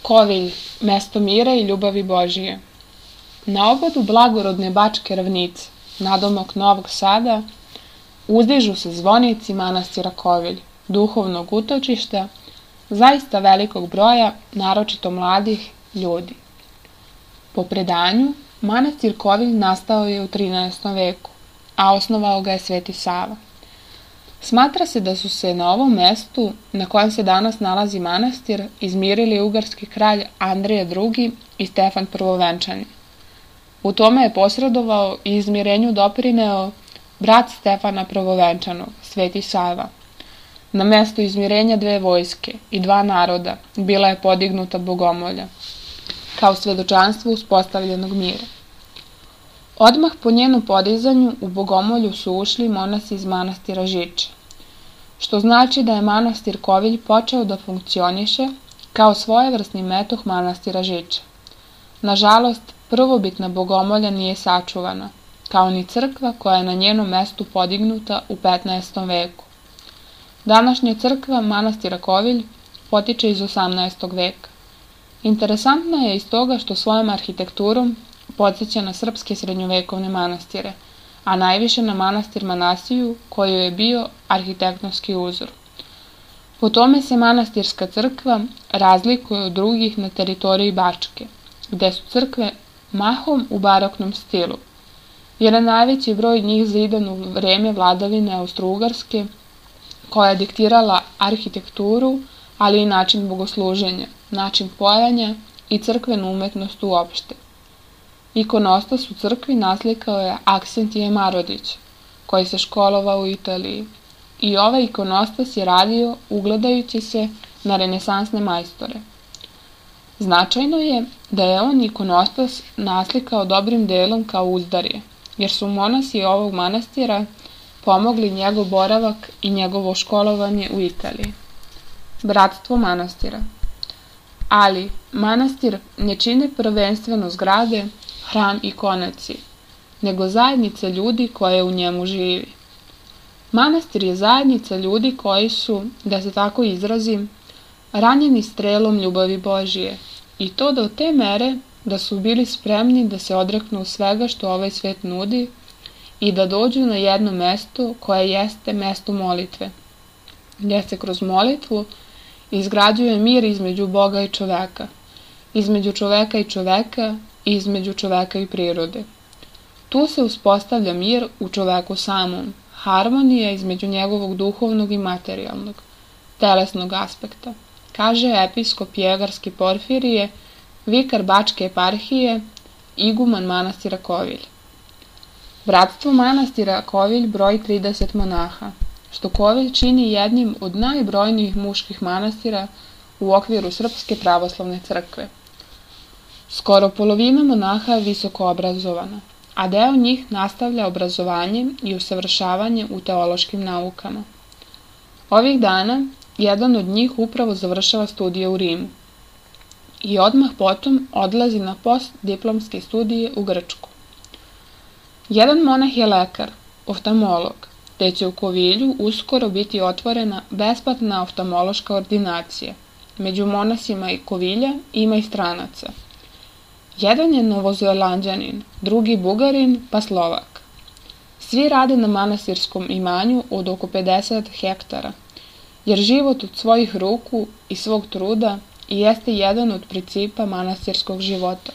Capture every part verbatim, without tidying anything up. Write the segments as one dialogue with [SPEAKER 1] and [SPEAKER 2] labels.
[SPEAKER 1] Kovilj, mesto mira i ljubavi Božije. Na obodu blagorodne Bačke ravnice, nadomak Novog Sada, uzdižu se zvonici manastira Kovilj, duhovnog utočišta, zaista velikog broja, naročito mladih ljudi. Po predanju, manastir Kovilj nastao je u trinaestom veku, a osnovao ga je Sveti Sava. Smatra se da su se na ovom mestu, na kojem se danas nalazi manastir, izmirili ugarski kralj Andrija drugi i Stefan Prvovenčani. U tome je posredovao i izmirenju doprineo brat Stefana Prvovenčanog, Sveti Sava. Na mestu izmirenja dve vojske i dva naroda bila je podignuta bogomolja, kao svedočanstvo uspostavljenog mira. Odmah po njenu podizanju u bogomolju su ušli monasi iz manastira Žiča, što znači da je manastir Kovilj počeo da funkcioniše kao svojevrsni metoh manastira Žiča. Nažalost, prvobitna bogomolja nije sačuvana, kao ni crkva koja je na njenom mestu podignuta u petnaestom veku. Današnja crkva manastira Kovilj potiče iz osamnaestog veka. Interesantna je iz toga što svojom arhitekturom podsjeća na srpske srednjovekovne manastire, a najviše na manastir Manasiju koji je bio arhitektonski uzor. Po tome se manastirska crkva razlikuje od drugih na teritoriji Bačke, gde su crkve mahom u baroknom stilu, jer je najveći broj njih zidan u vreme vladavine Austro-Ugarske, koja je diktirala arhitekturu, ali i način bogosluženja, način pojanja i crkvenu umetnost uopšte. Ikonostas u crkvi naslikao je Aksentije Marodić, koji se školovao u Italiji, i ovaj ikonostas je radio ugledajući se na renesansne majstore. Značajno je da je on ikonostas naslikao dobrim delom kao uzdarje, jer su monasi ovog manastira pomogli njegov boravak i njegovo školovanje u Italiji. Bratstvo manastira. Ali manastir ne čine prvenstveno zgrade, hram i konaci, nego zajednica ljudi koja u njemu živi. Manastir je zajednica ljudi koji su, da se tako izrazim, ranjeni strelom ljubavi Božije, i to do te mere da su bili spremni da se odreknu svega što ovaj svet nudi i da dođu na jedno mesto koje jeste mesto molitve, gdje se kroz molitvu izgrađuje mir između Boga i čoveka, između čoveka i čoveka i između čoveka i prirode. Tu se uspostavlja mir u čoveku samom, harmonija između njegovog duhovnog i materijalnog, telesnog aspekta, kaže episkop Jegarski Porfirije, vikar Bačke eparhije, iguman manastira Kovilj. Bratstvo manastira Kovilj broji trideset monaha, što Kovilj čini jednim od najbrojnijih muških manastira u okviru Srpske pravoslavne crkve. Skoro polovina monaha je visoko obrazovana, a deo njih nastavlja obrazovanje i usavršavanje u teološkim naukama. Ovih dana jedan od njih upravo završava studije u Rimu i odmah potom odlazi na postdiplomske studije u Grčku. Jedan monah je lekar, oftalmolog, te će u Kovilju uskoro biti otvorena besplatna oftalmološka ordinacija. Među monasima i Kovilja ima i stranaca. Jedan je Novozelanđanin, drugi Bugarin, pa Slovak. Svi rade na manastirskom imanju od oko pedeset hektara, jer život od svojih ruku i svog truda jeste jedan od principa manastirskog života.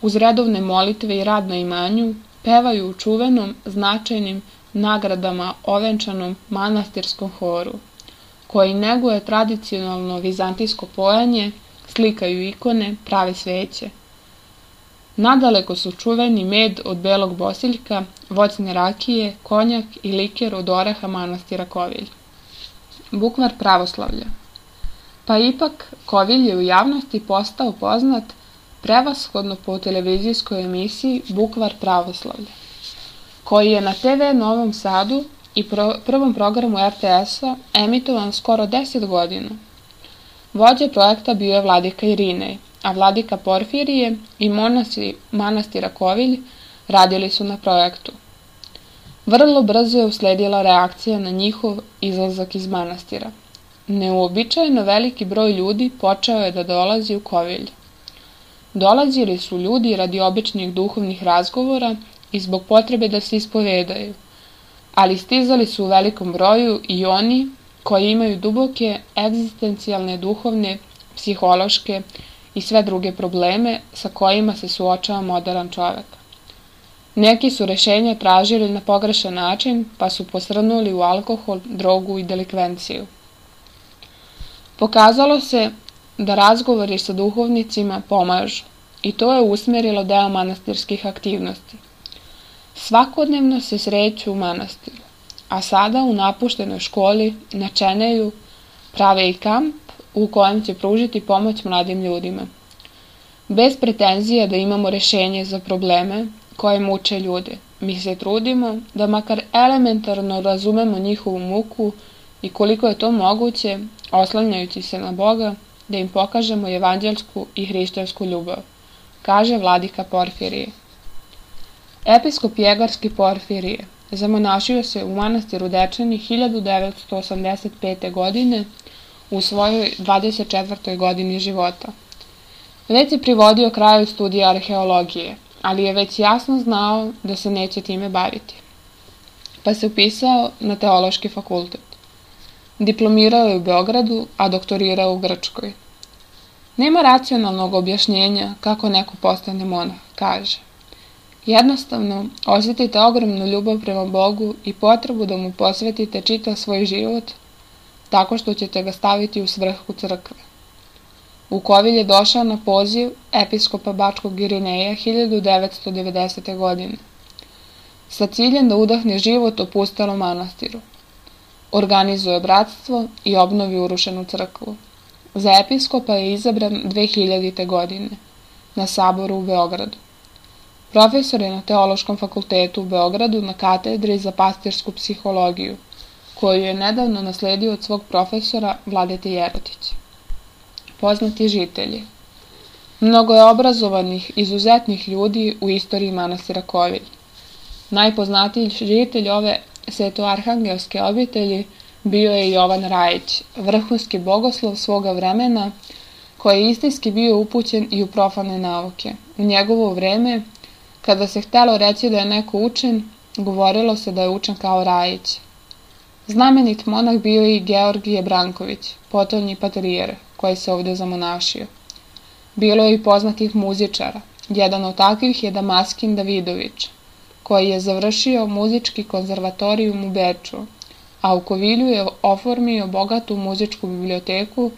[SPEAKER 1] Uz redovne molitve i rad na imanju pevaju u čuvenom, značajnim nagradama ovenčanom manastirskom horu, koji neguje tradicionalno vizantijsko pojanje, slikaju ikone, prave sveće. Nadaleko su čuveni med od belog bosiljka, voćne rakije, konjak i liker od oraha manastira Kovilj. Bukvar pravoslavlja. Pa ipak, Kovilj je u javnosti postao poznat prevashodno po televizijskoj emisiji Bukvar pravoslavlja, koji je na te ve Novom Sadu i pro, prvom programu er te esa emitovan skoro deset godina. Vođa projekta bio je vladika Irinej, a vladika Porfirije i monasi manastira Kovilj radili su na projektu. Vrlo brzo je usledila reakcija na njihov izlazak iz manastira. Neuobičajeno veliki broj ljudi počeo je da dolazi u Kovilj. Dolazili su ljudi radi običnih duhovnih razgovora i zbog potrebe da se ispovedaju, ali stizali su u velikom broju i oni koji imaju duboke egzistencijalne, duhovne, psihološke i sve druge probleme sa kojima se suočava moderan čovek. Neki su rešenja tražili na pogrešan način, pa su posrnuli u alkohol, drogu i delikvenciju. Pokazalo se da razgovori sa duhovnicima pomažu i to je usmerilo deo manastirskih aktivnosti. Svakodnevno se sreću u manastiru, a sada u napuštenoj školi na Čeneju prave i kamp u kojem će pružiti pomoć mladim ljudima. Bez pretenzija da imamo rešenje za probleme koje muče ljude, mi se trudimo da makar elementarno razumemo njihovu muku i koliko je to moguće, oslanjajući se na Boga, da im pokažemo evanđelsku i hrišćansku ljubav, kaže vladika Porfirije. Episkop Jegarski Porfirije zamonašio se u manastiru Dečani hiljadu devetsto osamdeset pete. godine u svojoj dvadeset četvrtoj godini života. Već je privodio kraju studija arheologije, ali je već jasno znao da se neće time baviti. Pa se upisao na teološki fakultet. Diplomirao je u Beogradu, a doktorirao u Grčkoj. Nema racionalnog objašnjenja kako neko postane monah, kaže. Jednostavno, osjetite ogromnu ljubav prema Bogu i potrebu da mu posvetite čitav svoj život tako što ćete ga staviti u svrhu crkve. U Kovilj je došao na poziv episkopa Bačkog Irineja hiljadu devetsto devedesete. godine, sa ciljem da udahne život opustelom manastiru. Organizuje bratstvo i obnovi urušenu crkvu. Za episkopa je izabran dve hiljadite. godine na saboru u Beogradu. Profesor je na Teološkom fakultetu u Beogradu na katedri za pastirsku psihologiju, koju je nedavno nasledio od svog profesora Vladete Jerotića. Poznati žitelji. Mnogo je obrazovanih, izuzetnih ljudi u istoriji manastira Kovilj. Najpoznatiji žitelj ove svetoarhangelske obitelji bio je Jovan Rajić, vrhunski bogoslov svoga vremena, koji je istinski bio upućen i u profane nauke. U njegovo vreme, kada se htelo reći da je neko učen, govorilo se da je učen kao Rajić. Znamenit monah bio je i Georgije Branković, potonji patrijer, koji se ovde zamonašio. Bilo je i poznatih muzičara. Jedan od takvih je Damaskin Davidović, koji je završio muzički konzervatorijum u Beču, a u Kovilju je oformio bogatu muzičku biblioteku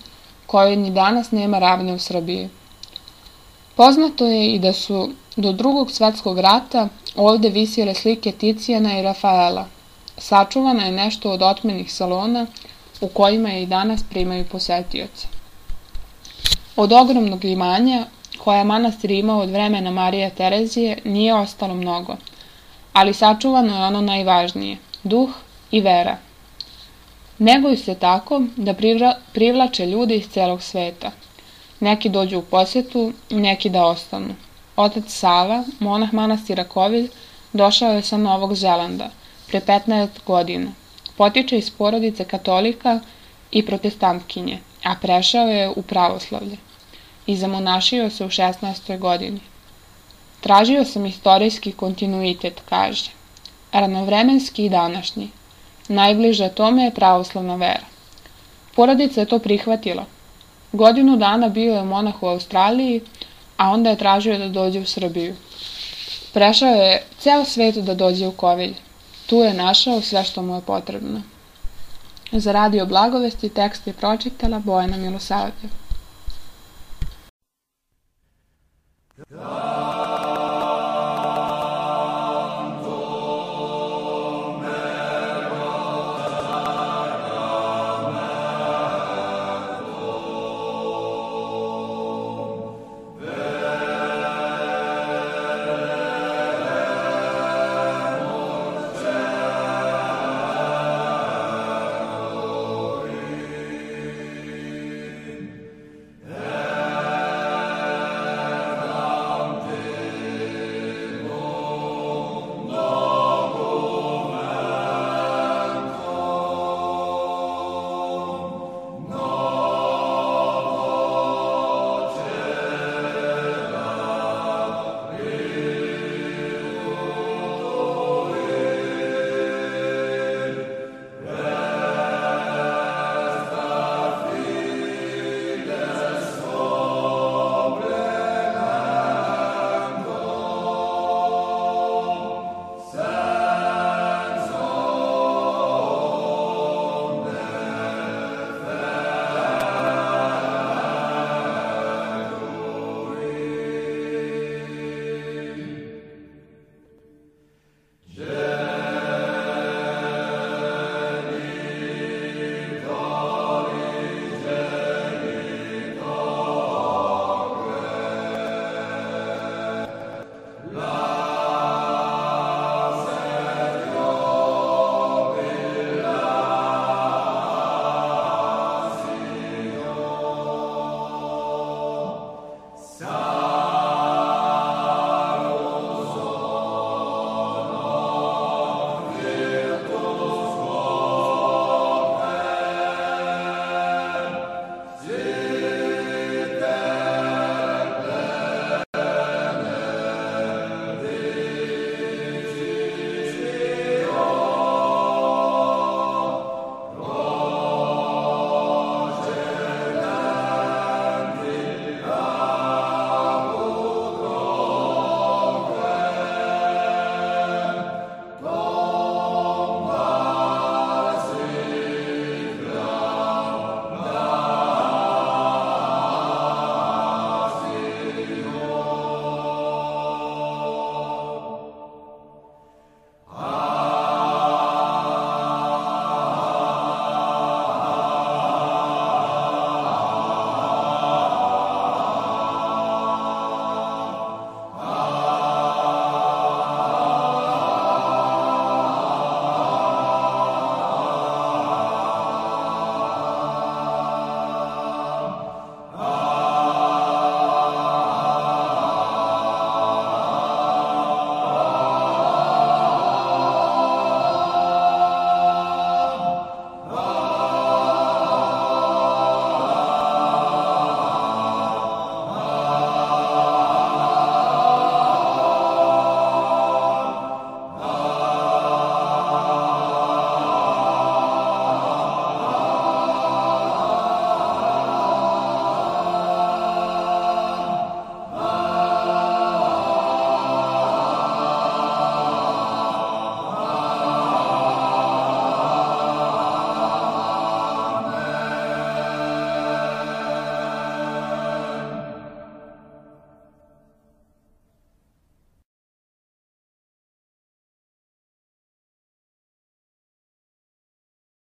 [SPEAKER 1] kojoj ni danas nema ravne u Srbiji. Poznato je i da su do Drugog svetskog rata ovde visjele slike Ticijana i Rafaela. Sačuvano je nešto od otmenih salona u kojima je i danas primaju posetioce. Od ogromnog imanja koje je manastir imao od vremena Marije Terezije nije ostalo mnogo, ali sačuvano je ono najvažnije, duh i vera. Neguju se tako da privlače ljude iz celog sveta. Neki dođu u posetu, neki da ostanu. Otac Sava, monah manastira Kovilj, došao je sa Novog Zelanda pre petnaest godina. Potiče iz porodice katolika i protestantkinje, a prešao je u pravoslavlje i zamonašio se u šesnaestoj godini. Tražio sam istorijski kontinuitet, kaže, ranovremenski i današnji. Najbliže tome je pravoslavna vera. Porodica je to prihvatila. Godinu dana bio je monah u Australiji, a onda je tražio da dođe u Srbiju. Prešao je ceo svet da dođe u Kovilj. Tu je našao sve što mu je potrebno. Za Radio Blagovesti tekst je pročitala Bojana Milosavljev.